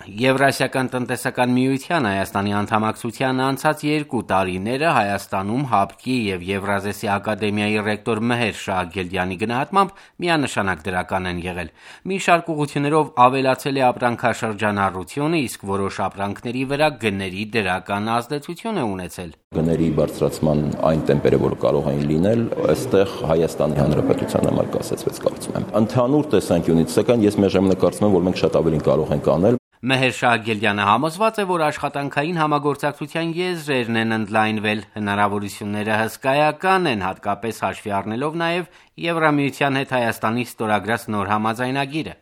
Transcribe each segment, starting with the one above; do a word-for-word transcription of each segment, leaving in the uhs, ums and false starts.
Եվրասիական տնտեսական միության Հայաստանի անդամակցության անցած երկու տարիները Հայաստանում ՀԱԲԿ-ի և Եվրազեսի ակադեմիայի ռեկտոր Մեհեր Շահագելդյանի գնահատմամբ միանշանակ դրական են եղել։ Մի շարք ուղղություններով ավելացել է ապրանքաշրջանառությունը, իսկ որոշ ապրանքների վրա գների դրական ազդեցություն է ունեցել։ Գների բարձրացման այն տեմպերը, որ կարող էին լինել, այստեղ Հայաստանի Հանրապետության համար կասեցվեց, կարծում եմ։ Ընդհանուր տեսանկյունից, սակայն ես միաժամանակ կարծում եմ, որ մենք շատ ավելին կարող ենք անել։ Մեհեր Շահագելդյանը համոզված է, որ աշխատանքային համագործակցության եզրերն են ընդլայնվել, հնարավորությունները հսկայական են, հատկապես հաշվի առնելով նաև Եվրամիության հետ Հայաստանի ստորագրած նոր համաձայնագիրը։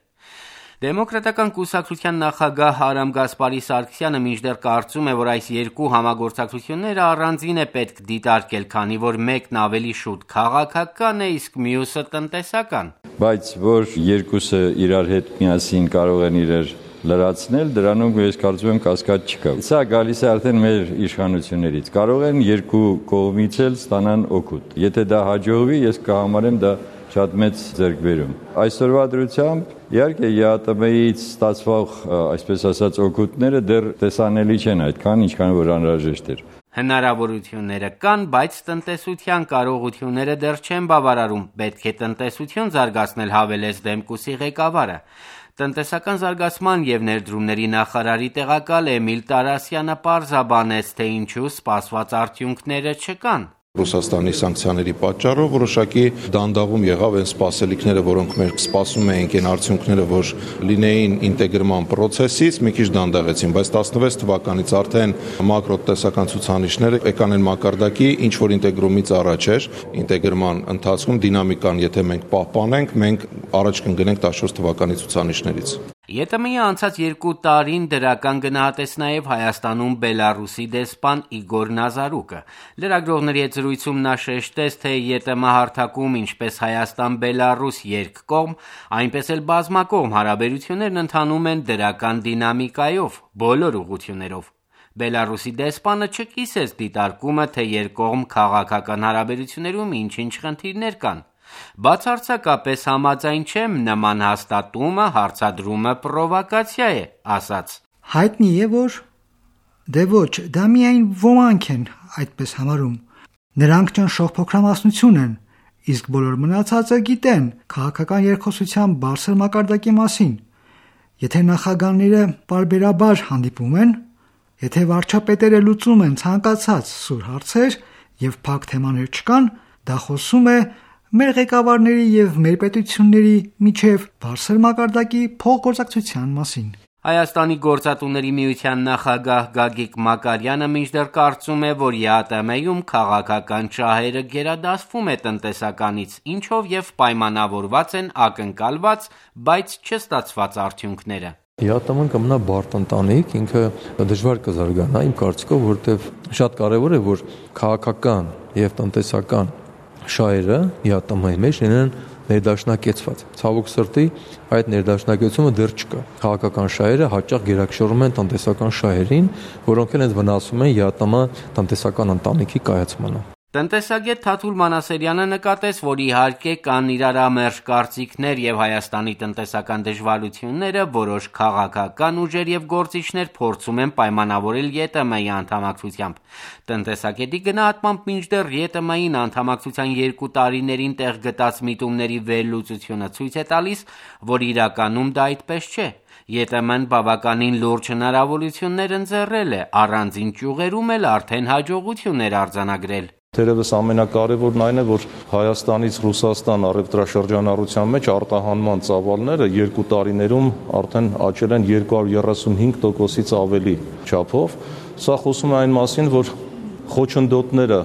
Դեմոկրատական կուսակցության նախագահ Արամ Գասպարի Սարգսյանը մինչդեռ կարծում է, որ այս երկու համագործակցությունները առանձին է պետք դիտարկել, քանի որ մեկն ավելի շուտ քաղաքական է, իսկ մյուսը տնտեսական։ Բայց որ երկուսը իրար հետ միասին կարող են իրար լրացնել, դրանում ես կարծում եմ կասկած չկա։ Սա գալիս է արդեն մեր իշխանություններից։ Կարող են երկու կողմից էլ ստանան օգուտ։ Եթե դա հաջողվի, ես կհամարեմ դա շատ մեծ ձեռքբերում։ Այսօրվա դրությամբ իհարկե ԵԱՏՄ-ից ստացվող, այսպես ասած, օգուտները դեռ տեսանելի չեն այդքան, ինչքան որ անհրաժեշտ էր։ Հնարավորությունները կան, բայց տնտեսության կարողությունները դեռ չեն բավարարում։ Պետք է տնտեսություն զարգացնել, հավելեց Դեմկուսի ղեկավարը։ Տնտեսական զարգացման և ներդրումների նախարարի տեղակալ Էմիլ Տարասյանը պարզաբանեց, թե ինչու սպասված արդյունքները չկան։ Ռուսաստանի սանկցիաների պատճառով որոշակի դանդաղում եղավ այն սպասելիքները, որոնք մենք սպասում էինք, այն արդյունքները, որ լինեին ինտեգրման process-ից, մի քիչ դանդաղեցին, բայց տասնվեց թվականից արդեն մակրոտնտեսական ցուցանիշները եկան այն մակարդակի, ինչ որ ինտեգրումից առաջ էր, ինտեգրման ընթացքում դինամիկան, եթե մենք պահպանենք, մենք առաջ կընկնենք տասնչորս թվականի ցուցանիշներից։ ԵՏՄ-ի անցած երկու տարին դրական գնահատեց նաև Հայաստանում Բելառուսի դեսպան Իգոր Նազարուկը։ Լրագրողների հետ զրույցում նա շեշտեց, թե ԵՏՄ հարթակում ինչպես Հայաստան-Բելառուս երկկողմ, այնպես էլ բազմակողմ հարաբերություններն ընթանում են դրական դինամիկայով, բոլոր ուղղություններով։ Բելառուսի դեսպանը չկիսեց դիտարկումը, թե երկկողմ քաղաքական հարաբերություններում ինչ-ինչ խնդիրներ կան։ Բացարձակապես համաձայն չեմ, նման հաստատումը, հարցադրումը պրովոկացիա է, ասաց։ Հայտնի է, որ դե ոչ, դա միայն ոմանք են այդպես համարում։ Նրանք ճնշող փոքրամասնություն են, իսկ բոլոր մնացածը գիտեն քաղաքական երկխոսության բարձր մակարդակի մասին։ Եթե նախագահները պարբերաբար հանդիպում են, եթե վարչապետերը լուծում են ցանկացած սուր հարցեր եւ փակ թեմաներ չկան, դա խոսում է մեր ղեկավարների եւ մեր պետությունների միջև բարձր մակարդակի փոխգործակցության մասին։ Հայաստանի գործատուների միության նախագահ Գագիկ Մակարյանը մինչդեռ կարծում է, որ ԵԱՏՄ-ում քաղաքական շահերը գերադասվում է տնտեսականից, ինչով եւ պայմանավորված են ակնկալված, բայց չստացված արդյունքները։ ԵԱՏՄ-ն կմնա բարդ ընտանիք, ինքը դժվար կզարգանա, իմ կարծիքով, որովհետեւ շատ կարեւոր է, որ քաղաքական եւ տնտեսական շահերը ԵԱՏՄ-ի մեջ լինեն ներդաշնակեցված։ Ցավոք սրտի այդ ներդաշնակեցումը դեռ չկա։ Քաղաքական շահերը հաճախ գերակշռում են տնտեսական շահերին, որոնք էլ վնասում են ԵԱՏՄ տնտեսական ընտանիքի կայացմանը։ Տնտեսագետ Թաթուլ Մանասերյանը նկատեց, որ իհարկե կան իրարամերժ կարծիքներ եւ Հայաստանի տնտեսական դժվարությունները, որոշ քաղաքական ուժեր եւ գործիչներ փորձում են պայմանավորել ԵՏՄ-ի անդամակցությամբ։ Տնտեսագետի գնահատմամբ մինչդեռ ԵՏՄ-ին անդամակցության երկու տարիներին տեղ գտած միտումների վերլուծությունը ցույց է տալիս, որ իրականում դա այդպես չէ։ ԵՏՄ-ն բավականին լուրջ հնարավորություններ ընձեռել է, առանձին ճյուղերում էլ արդեն հաջողություններ արձանագրել։ Թերևս ամենակարևորն այն է, որ Հայաստանից Ռուսաստան առևտրաշրջանառության մեջ արտահանման ծավալները երկու տարիներում արդեն աճել են երկու հարյուր երեսունհինգ տոկոսից ավելի չափով։ Սա խոսում է այն մասին, որ խոչընդոտները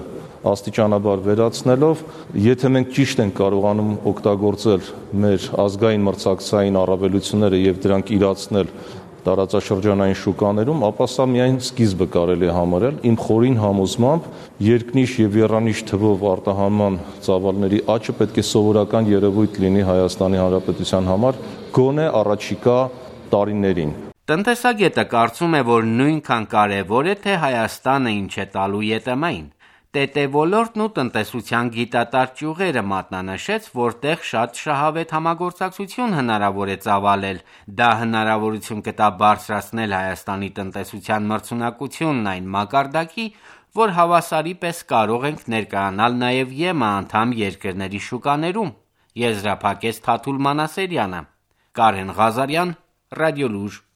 աստիճանաբար վերացնելով, եթե մենք ճիշտ ենք կարողանում օգտագործել մեր ազգային մրցակցային առավելությունները եւ դրանք իրացնել տարածաշրջանային շուկաներում, ապա սա միայն սկիզբը կարելի է համարել։ Իմ խորին համոզմամբ երկնիշ եւ եռանիշ թվով արտահանման ծավալների աճը պետք է սովորական երևույթ լինի Հայաստանի Հանրապետության համար գոնե առաջիկա տարիներին։ Տնտեսագետը կարծում է, որ նույնքան կարևոր է, թե Հայաստանը ինչ է տալու ԵՏՄ-ին։ ՏՏ ոլորտն ու տնտեսության գիտատար ճյուղերը մատնանշեց, որտեղ շատ շահավետ համագործակցություն հնարավոր է ծավալել։ Դա հնարավորություն կտա բարձրացնել Հայաստանի տնտեսության մրցունակությունն այն մակարդակի, որ հավասարի պես կարող ենք ներկայանալ նաև ԵՄ անդամ երկրների շուկաներում, եզրափակեց Թաթուլ Մանասերյանը։ Կարեն Ղազարյան, Ռադիոլուժ։